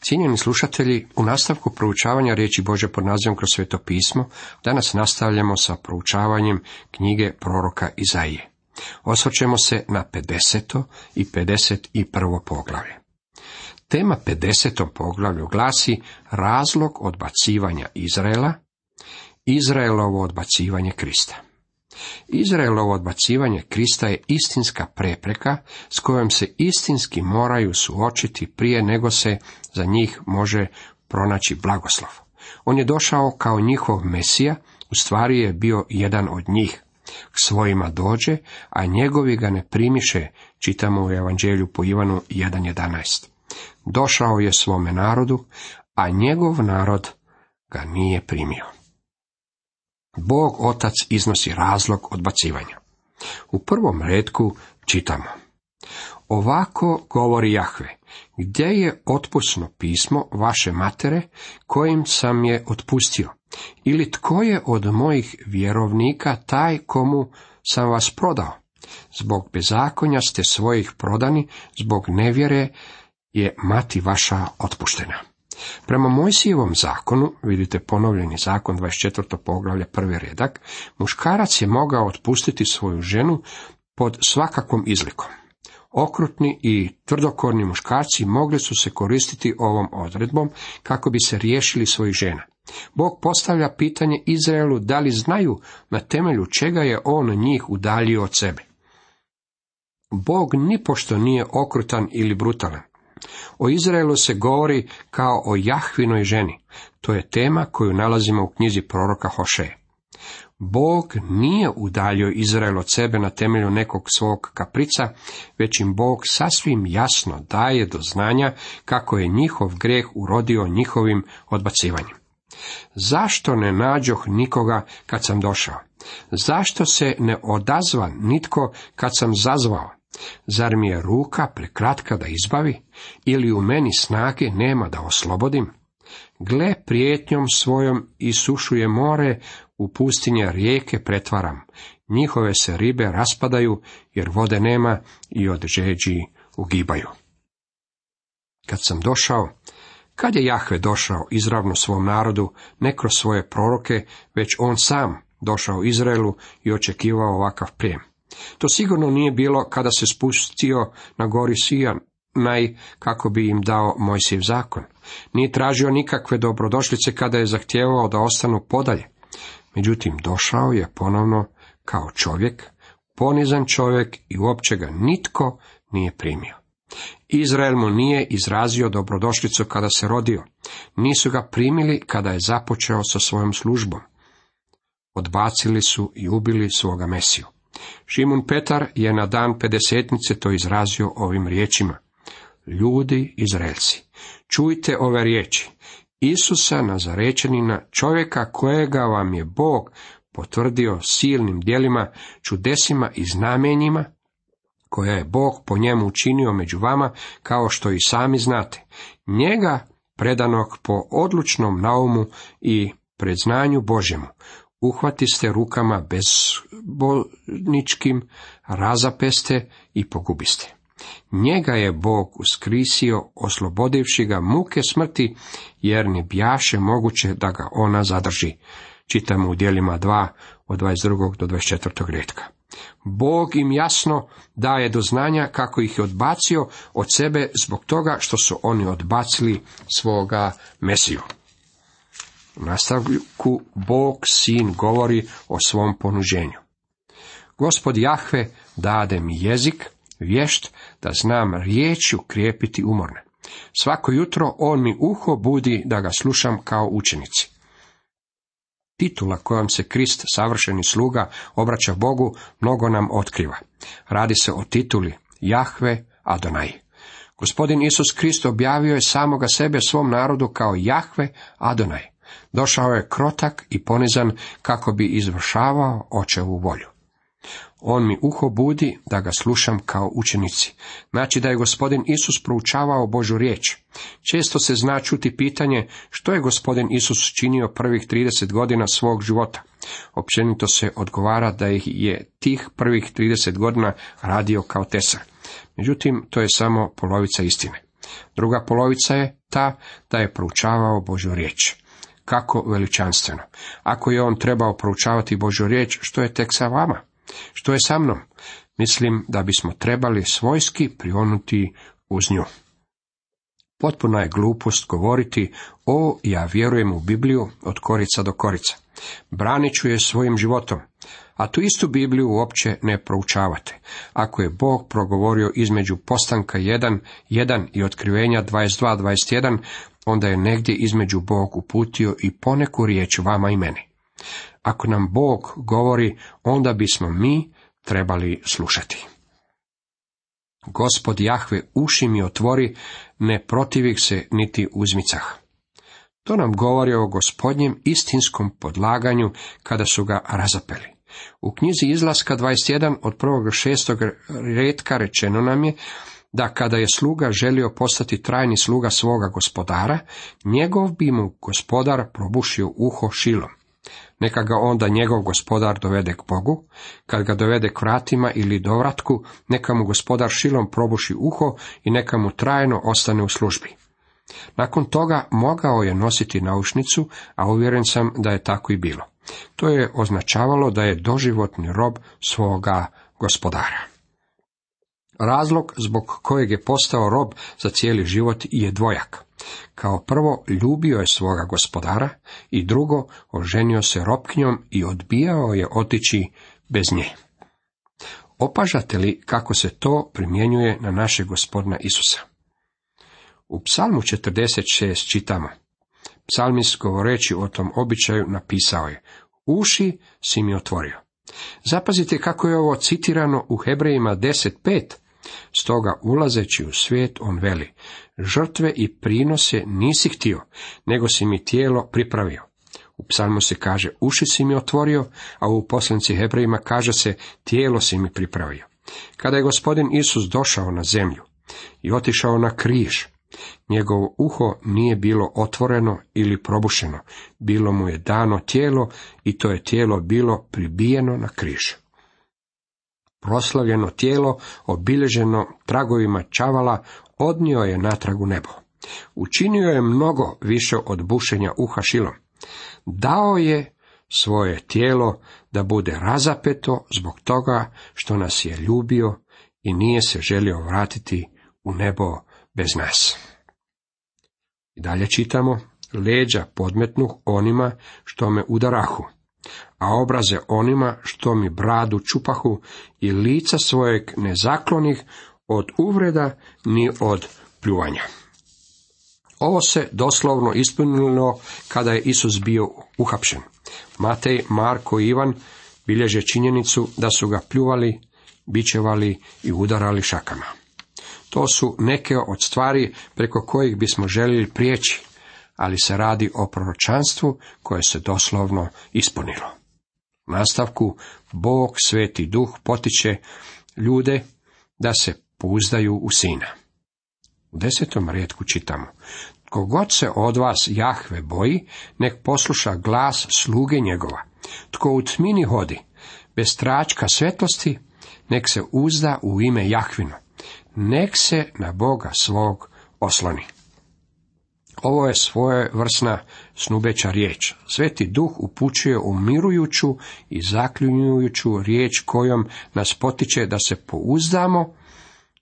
Cijenjeni slušatelji, u nastavku proučavanja riječi Božje pod nazivom kroz Sveto pismo, danas nastavljamo sa proučavanjem knjige proroka Izaije. Osvrćemo se na 50. i 51. poglavlje. Tema 50. poglavlju glasi razlog odbacivanja Izraela, Izraelovo odbacivanje Krista. Izraelovo odbacivanje Krista je istinska prepreka s kojom se istinski moraju suočiti prije nego se za njih može pronaći blagoslov. On je došao kao njihov Mesija, u stvari je bio jedan od njih. K svojima dođe, a njegovi ga ne primiše, čitamo u Evanđelju po Ivanu 1.11. Došao je svome narodu, a njegov narod ga nije primio. Bog Otac iznosi razlog odbacivanja. U prvom retku čitamo: ovako govori Jahve, gdje je otpusno pismo vaše matere, kojim sam je otpustio? Ili tko je od mojih vjerovnika taj komu sam vas prodao? Zbog bezakonja ste svojih prodani, zbog nevjere je mati vaša otpuštena. Prema Mojsijevom zakonu, vidite ponovljeni zakon 24. poglavlje 1. redak, muškarac je mogao otpustiti svoju ženu pod svakakvom izlikom. Okrutni i tvrdokorni muškarci mogli su se koristiti ovom odredbom kako bi se riješili svojih žena. Bog postavlja pitanje Izraelu da li znaju na temelju čega je on njih udaljio od sebe. Bog nipošto nije okrutan ili brutalan. O Izraelu se govori kao o Jahvinoj ženi. To je tema koju nalazimo u knjizi proroka Hošeje. Bog nije udaljio Izrael od sebe na temelju nekog svog kaprica, već im Bog sasvim jasno daje do znanja kako je njihov grijeh urodio njihovim odbacivanjem. Zašto ne nađoh nikoga kad sam došao? Zašto se ne odazva nitko kad sam zazvao? Zar mi je ruka prekratka da izbavi, ili u meni snage nema da oslobodim? Gle, prijetnjom svojom isušuje more, u pustinje rijeke pretvaram. Njihove se ribe raspadaju, jer vode nema i od žeđi ugibaju. Kad sam došao, kad je Jahve došao izravno svom narodu, ne kroz svoje proroke, već on sam došao Izraelu i očekivao ovakav prijem. To sigurno nije bilo kada se spustio na gori Sinaj kako bi im dao Mojsijev zakon. Nije tražio nikakve dobrodošlice kada je zahtijevao da ostanu podalje. Međutim, došao je ponovno kao čovjek, ponizan čovjek i uopće ga nitko nije primio. Izrael mu nije izrazio dobrodošlicu kada se rodio. Nisu ga primili kada je započeo sa svojom službom. Odbacili su i ubili svoga Mesiju. Šimun Petar je na dan pedesetnice to izrazio ovim riječima: ljudi Izraelci, čujte ove riječi Isusa Nazarečanina, čovjeka kojega vam je Bog potvrdio silnim djelima, čudesima i znamenjima, koja je Bog po njemu učinio među vama, kao što i sami znate. Njega predanog po odlučnom naumu i predznanju Božjemu, uhvatiste rukama bezbolničkim, razapeste i pogubiste. Njega je Bog uskrisio, oslobodivši ga muke smrti, jer ne bjaše moguće da ga ona zadrži. Čitamo u djelima 2 od 22. do 24. retka. Bog im jasno daje do znanja kako ih je odbacio od sebe zbog toga što su oni odbacili svoga Mesiju. U nastavku Bog Sin govori o svom ponuđenju. Gospod Jahve dade mi jezik, vješt, da znam riječju krijepiti umorne. Svako jutro on mi uho budi da ga slušam kao učenici. Titula kojom se Krist, savršeni sluga, obraća Bogu, mnogo nam otkriva. Radi se o tituli Jahve Adonai. Gospodin Isus Krist objavio je samoga sebe svom narodu kao Jahve Adonai. Došao je krotak i ponizan kako bi izvršavao očevu volju. On mi uho budi da ga slušam kao učenici. Znači da je gospodin Isus proučavao Božju riječ. Često se zna čuti pitanje što je gospodin Isus činio prvih 30 godina svog života. Općenito se odgovara da je tih prvih 30 godina radio kao tesar. Međutim, to je samo polovica istine. Druga polovica je ta da je proučavao Božju riječ. Kako veličanstveno! Ako je on trebao proučavati Božju riječ, što je tek sa vama? Što je sa mnom? Mislim da bismo trebali svojski prionuti uz nju. Potpuna je glupost govoriti, ja vjerujem u Bibliju od korica do korica. Branit ću je svojim životom. A tu istu Bibliju uopće ne proučavate. Ako je Bog progovorio između Postanka 1:1 i Otkrivenja 22:21, onda je negdje između Bog uputio i poneku riječ vama i meni. Ako nam Bog govori, onda bismo mi trebali slušati. Gospod Jahve uši mi otvori, ne protivih se niti uzmicah. To nam govori o Gospodnjem istinskom podlaganju kada su ga razapeli. U knjizi Izlaska 21 od 1. do 6. retka rečeno nam je da kada je sluga želio postati trajni sluga svoga gospodara, njegov bi mu gospodar probušio uho šilom. Neka ga onda njegov gospodar dovede k Bogu, kad ga dovede k vratima ili dovratku, neka mu gospodar šilom probuši uho i neka mu trajno ostane u službi. Nakon toga mogao je nositi naušnicu, a uvjeren sam da je tako i bilo. To je označavalo da je doživotni rob svoga gospodara. Razlog zbog kojeg je postao rob za cijeli život je dvojak. Kao prvo, ljubio je svoga gospodara i drugo, oženio se robkinjom i odbijao je otići bez nje. Opažate li kako se to primjenjuje na našeg Gospodina Isusa? U Psalmu 46 čitamo. Psalmist govoreći o tom običaju napisao je: uši si mi otvorio. Zapazite kako je ovo citirano u Hebrejima 10:5. Stoga ulazeći u svijet on veli: žrtve i prinose nisi htio, nego si mi tijelo pripravio. U psalmu se kaže: uši si mi otvorio, a u poslanici Hebrejima kaže se: tijelo si mi pripravio. Kada je Gospodin Isus došao na zemlju i otišao na križ, njegovo uho nije bilo otvoreno ili probušeno, bilo mu je dano tijelo i to je tijelo bilo pribijeno na križ. Proslavljeno tijelo, obilježeno tragovima čavala, odnio je natrag u nebo. Učinio je mnogo više od bušenja uha šilom. Dao je svoje tijelo da bude razapeto zbog toga što nas je ljubio i nije se želio vratiti u nebo bez nas. I dalje čitamo: leđa podmetnuh onima što me udarahu, a obraze onima što mi bradu čupahu i lica svojeg ne zaklonih od uvreda ni od pljuvanja. Ovo se doslovno ispunilo kada je Isus bio uhapšen. Matej, Marko i Ivan bilježe činjenicu da su ga pljuvali, bičevali i udarali šakama. To su neke od stvari preko kojih bismo željeli prijeći, ali se radi o proročanstvu koje se doslovno ispunilo. U nastavku, Bog, Sveti Duh, potiče ljude da se pouzdaju u Sina. U 10. retku čitamo: tko god se od vas Jahve boji, nek posluša glas sluge njegova. Tko u tmini hodi, bez tračka svetlosti, nek se uzda u ime Jahvino. Nek se na Boga svog osloni. Ovo je svojevrsna snubeća riječ. Sveti Duh upućuje umirujuću i zaklinjujuću riječ kojom nas potiče da se pouzdamo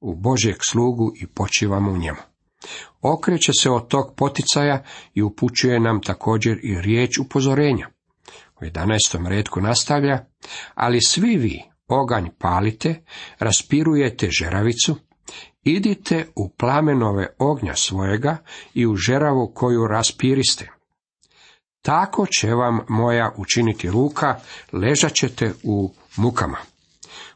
u Božjeg slugu i počivamo u njemu. Okreće se od tog poticaja i upućuje nam također i riječ upozorenja. U 11. retku nastavlja: ali svi vi oganj palite, raspirujete žeravicu, idite u plamenove ognja svojega i u žeravu koju raspiriste. Tako će vam moja učiniti ruka, ležat ćete u mukama.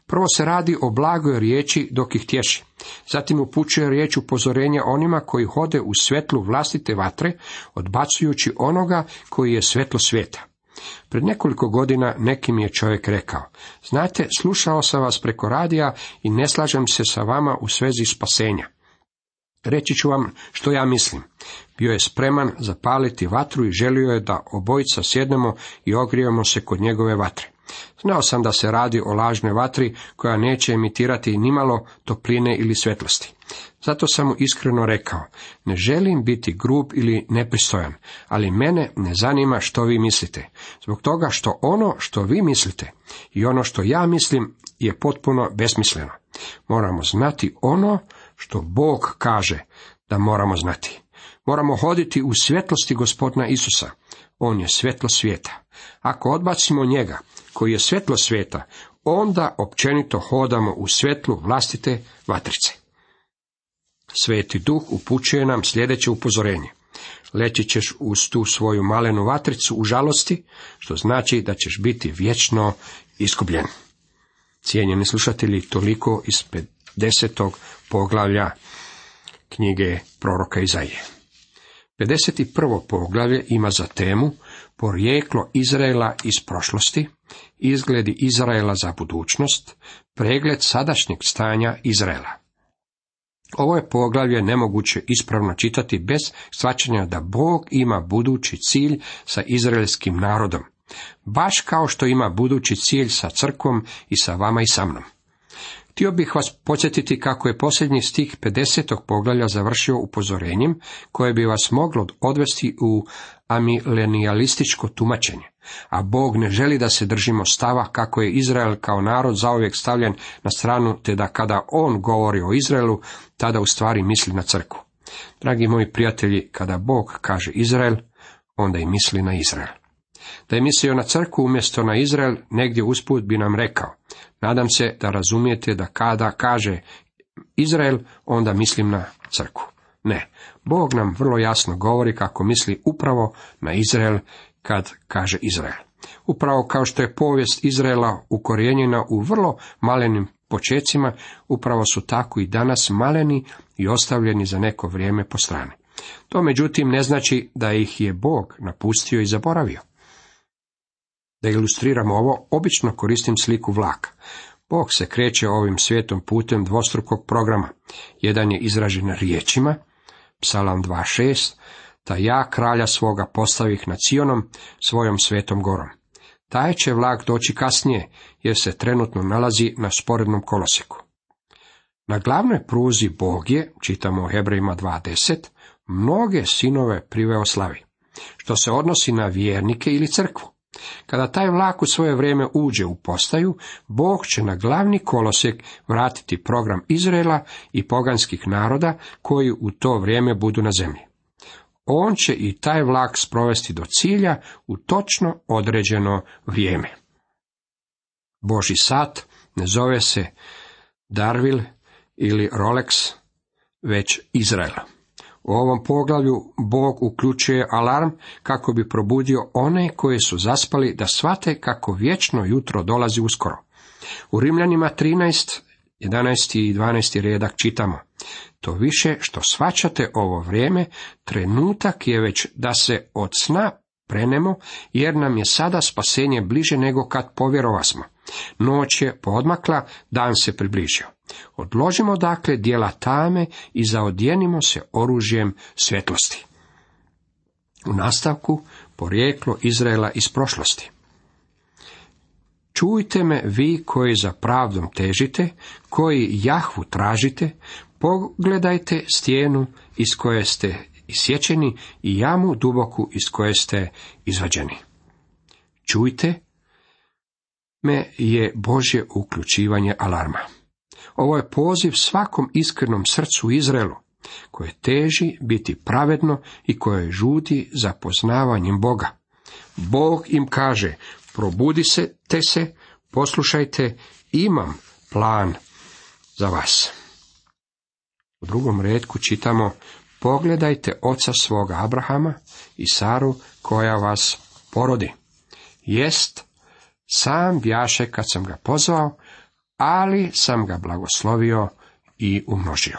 Prvo se radi o blagoj riječi dok ih tješi. Zatim upućuje riječ upozorenja onima koji hode u svjetlu vlastite vatre, odbacujući onoga koji je svjetlo svijeta. Pred nekoliko godina neki mi je čovjek rekao: znate, slušao sam vas preko radija i ne slažem se sa vama u svezi spasenja. Reći ću vam što ja mislim. Bio je spreman zapaliti vatru i želio je da obojica sjednemo i ogrijemo se kod njegove vatre. Znao sam da se radi o lažnoj vatri koja neće emitirati nimalo topline ili svjetlosti. Zato sam mu iskreno rekao, ne želim biti grub ili nepristojan, ali mene ne zanima što vi mislite, zbog toga što ono što vi mislite i ono što ja mislim je potpuno besmisleno. Moramo znati ono što Bog kaže da moramo znati. Moramo hoditi u svjetlosti Gospodina Isusa. On je svjetlo svijeta. Ako odbacimo njega, koji je svjetlo svijeta, onda općenito hodamo u svjetlu vlastite vatrice. Sveti Duh upućuje nam sljedeće upozorenje. Leći ćeš uz tu svoju malenu vatricu u žalosti, što znači da ćeš biti vječno izgubljen. Cijenjeni slušatelji, toliko iz 50. poglavlja knjige proroka Izaije. 51. poglavlje ima za temu porijeklo Izraela iz prošlosti, izgledi Izraela za budućnost, pregled sadašnjeg stanja Izraela. Ovo je poglavlje nemoguće ispravno čitati bez shvaćanja da Bog ima budući cilj sa izraelskim narodom, baš kao što ima budući cilj sa crkvom i sa vama i sa mnom. Htio bih vas podsjetiti kako je posljednji stih 50. poglavlja završio upozorenjem koje bi vas moglo odvesti u amilenijalističko tumačenje, a Bog ne želi da se držimo stava kako je Izrael kao narod zauvijek stavljen na stranu, te da kada on govori o Izraelu, tada u stvari misli na crkvu. Dragi moji prijatelji, kada Bog kaže Izrael, onda i misli na Izrael. Da je mislio na crkvu umjesto na Izrael, negdje usput bi nam rekao, nadam se da razumijete da kada kaže Izrael, onda mislim na crkvu. Ne, Bog nam vrlo jasno govori kako misli upravo na Izrael kad kaže Izrael. Upravo kao što je povijest Izraela ukorijenjena u vrlo malenim počecima, upravo su tako i danas maleni i ostavljeni za neko vrijeme po strani. To međutim ne znači da ih je Bog napustio i zaboravio. Da ilustriramo ovo, obično koristim sliku vlaka. Bog se kreće ovim svijetom putem dvostrukog programa. Jedan je izražen riječima, Psalam 2.6, da ja kralja svoga postavih nad Sionom, svojom svetom gorom. Taj će vlak doći kasnije, jer se trenutno nalazi na sporednom kolosijeku. Na glavnoj pruzi Bog je, čitamo u Hebrejima 2.10, mnoge sinove priveo slavi, što se odnosi na vjernike ili crkvu. Kada taj vlak u svoje vrijeme uđe u postaju, Bog će na glavni kolosijek vratiti program Izraela i poganskih naroda koji u to vrijeme budu na zemlji. On će i taj vlak sprovesti do cilja u točno određeno vrijeme. Božji sat ne zove se Darvil ili Rolex, već Izrael. U ovom poglavlju Bog uključuje alarm kako bi probudio one koji su zaspali da shvate kako vječno jutro dolazi uskoro. U Rimljanima 13, 11. i 12. redak čitamo: to više što shvaćate ovo vrijeme, trenutak je već da se od sna prenemo, jer nam je sada spasenje bliže nego kad povjerovasmo. Noć je poodmakla, dan se približio. Odložimo dakle djela tame i zaodjenimo se oružjem svjetlosti. U nastavku porijeklo Izraela iz prošlosti. Čujte me vi koji za pravdom težite, koji Jahvu tražite, pogledajte stijenu iz koje ste isječeni i jamu duboku iz koje ste izvađeni. Čujte me je Božje uključivanje alarma. Ovo je poziv svakom iskrenom srcu Izraelu, koje teži biti pravedno i koje žudi za poznavanjem Boga. Bog im kaže: probudi se, poslušajte, imam plan za vas. U drugom retku čitamo: pogledajte oca svoga Abrahama i Saru koja vas porodi. Jest, sam bjaše kad sam ga pozvao, ali sam ga blagoslovio i umnožio.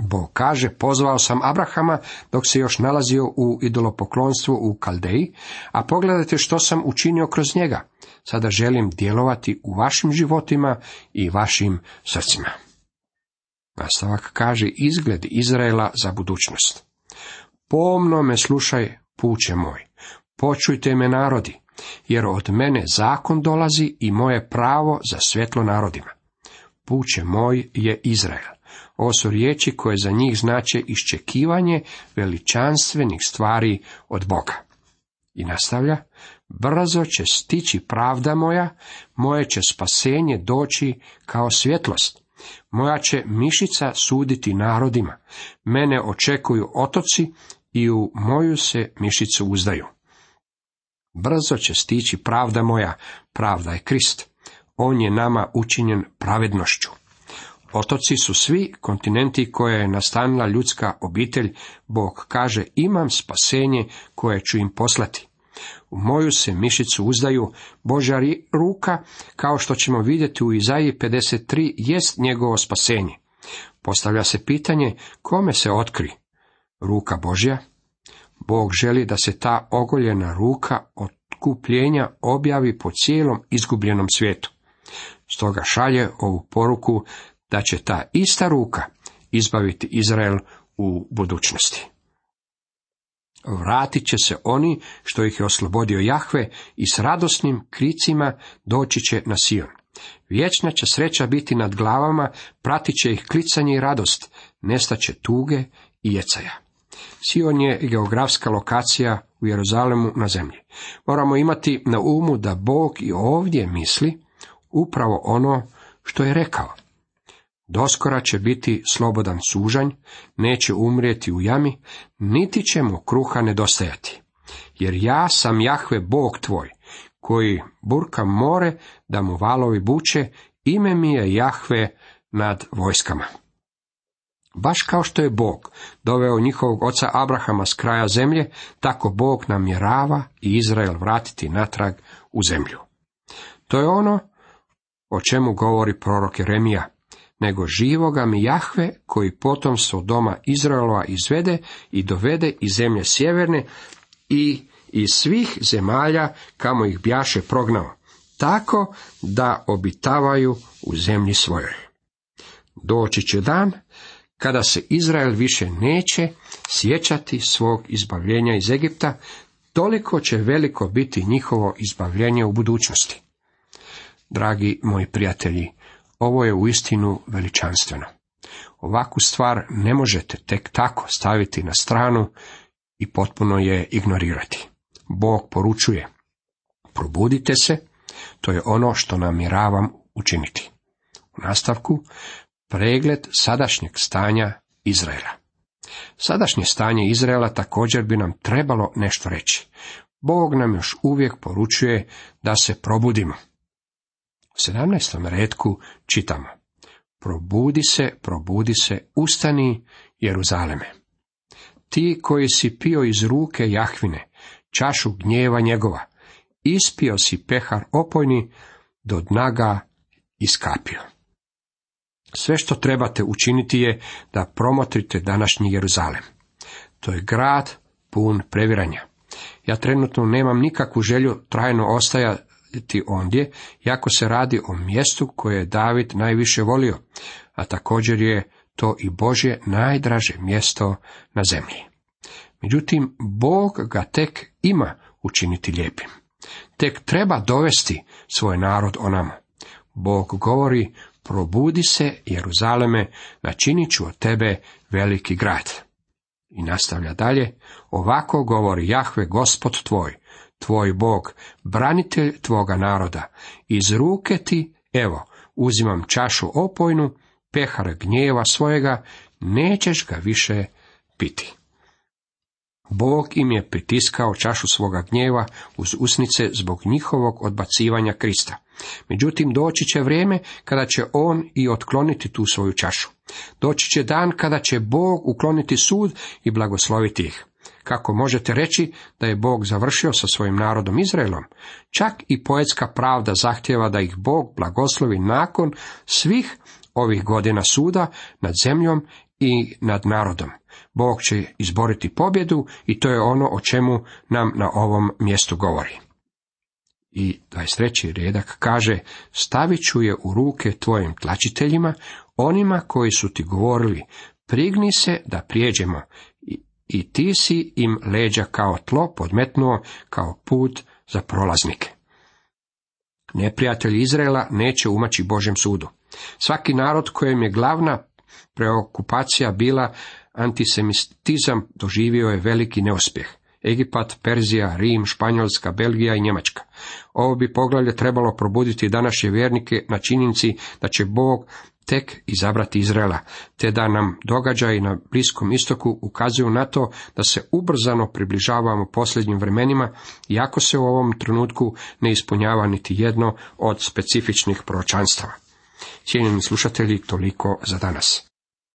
Bog kaže: pozvao sam Abrahama dok se još nalazio u idolopoklonstvu u Kaldeji, a pogledajte što sam učinio kroz njega. Sada želim djelovati u vašim životima i vašim srcima. Nastavak kaže: izgled Izraela za budućnost. Pomno me slušaj, puče moj, počujte me narodi, jer od mene zakon dolazi i moje pravo za svjetlo narodima. Puče moj je Izrael. Ovo su riječi koje za njih znače iščekivanje veličanstvenih stvari od Boga. I nastavlja, brzo će stići pravda moja, moje će spasenje doći kao svjetlost. Moja će mišica suditi narodima, mene očekuju otoci i u moju se mišicu uzdaju. Brzo će stići pravda moja, pravda je Krist. On je nama učinjen pravednošću. Otoci su svi kontinenti koje je nastanila ljudska obitelj. Bog kaže, imam spasenje koje ću im poslati. U moju se mišicu uzdaju. Božja ruka, kao što ćemo vidjeti u Izaiji 53, jest njegovo spasenje. Postavlja se pitanje, kome se otkri? Ruka Božja? Bog želi da se ta ogoljena ruka otkupljenja objavi po cijelom izgubljenom svijetu. Stoga šalje ovu poruku da će ta ista ruka izbaviti Izrael u budućnosti. Vratit će se oni što ih je oslobodio Jahve i s radosnim kricima doći će na Sion. Vječna će sreća biti nad glavama, pratit će ih klicanje i radost, nestaće tuge i jecaja. Sion je geografska lokacija u Jeruzalemu na zemlji. Moramo imati na umu da Bog i ovdje misli upravo ono što je rekao. Doskora će biti slobodan sužanj, neće umrijeti u jami, niti će mu kruha nedostajati. Jer ja sam Jahve Bog tvoj, koji burka more da mu valovi buče, ime mi je Jahve nad vojskama. Baš kao što je Bog doveo njihovog oca Abrahama s kraja zemlje, tako Bog namjerava i Izrael vratiti natrag u zemlju. To je ono o čemu govori prorok Jeremija. Nego živoga mi Jahve, koji potomstvo doma Izraelova izvede i dovede iz zemlje sjeverne i iz svih zemalja kamo ih bjaše prognao, tako da obitavaju u zemlji svojoj. Doći će dan kada se Izrael više neće sjećati svog izbavljenja iz Egipta, toliko će veliko biti njihovo izbavljenje u budućnosti. Dragi moji prijatelji, ovo je uistinu veličanstveno. Ovakvu stvar ne možete tek tako staviti na stranu i potpuno je ignorirati. Bog poručuje, probudite se, to je ono što namjeravam učiniti. U nastavku, pregled sadašnjeg stanja Izraela. Sadašnje stanje Izraela također bi nam trebalo nešto reći. Bog nam još uvijek poručuje da se probudimo. U 17. retku čitamo: probudi se, ustani, Jeruzaleme. Ti koji si pio iz ruke Jahvine, čašu gnjeva njegova, ispio si pehar opojni, do dna ga iskapio. Sve što trebate učiniti je da promotrite današnji Jeruzalem. To je grad pun previranja. Ja trenutno nemam nikakvu želju trajno ostajati ondje, jako se radi o mjestu koje je David najviše volio, a također je to i Božje najdraže mjesto na zemlji. Međutim, Bog ga tek ima učiniti lijepim. Tek treba dovesti svoj narod onamo. Bog govori: probudi se, Jeruzaleme, načinit ću od tebe veliki grad. I nastavlja dalje: ovako govori Jahve, Gospod tvoj Bog, branitelj tvoga naroda. Iz ruke ti, evo, uzimam čašu opojnu, pehar gnjeva svojega, nećeš ga više piti. Bog im je pritiskao čašu svoga gnjeva uz usnice zbog njihovog odbacivanja Krista. Međutim, doći će vrijeme kada će on i otkloniti tu svoju čašu. Doći će dan kada će Bog ukloniti sud i blagosloviti ih. Kako možete reći da je Bog završio sa svojim narodom Izraelom? Čak i poetska pravda zahtjeva da ih Bog blagoslovi nakon svih ovih godina suda nad zemljom i nad narodom. Bog će izboriti pobjedu i to je ono o čemu nam na ovom mjestu govori. I 23. redak kaže: stavit ću je u ruke tvojim tlačiteljima, onima koji su ti govorili, prigni se da prijeđemo, i ti si im leđa kao tlo podmetnuo, kao put za prolaznike. Neprijatelji Izraela neće umaći Božjem sudu. Svaki narod kojem je glavna Preokupacija bila antisemitizam doživio je veliki neuspjeh. Egipat, Perzija, Rim, Španjolska, Belgija i Njemačka. Ovo bi poglavlje trebalo probuditi današnje vjernike na činjenici da će Bog tek izabrati Izraela, te da nam događaji na Bliskom istoku ukazuju na to da se ubrzano približavamo posljednjim vremenima, iako se u ovom trenutku ne ispunjava niti jedno od specifičnih proročanstava. Cijenjeni slušatelji, toliko za danas.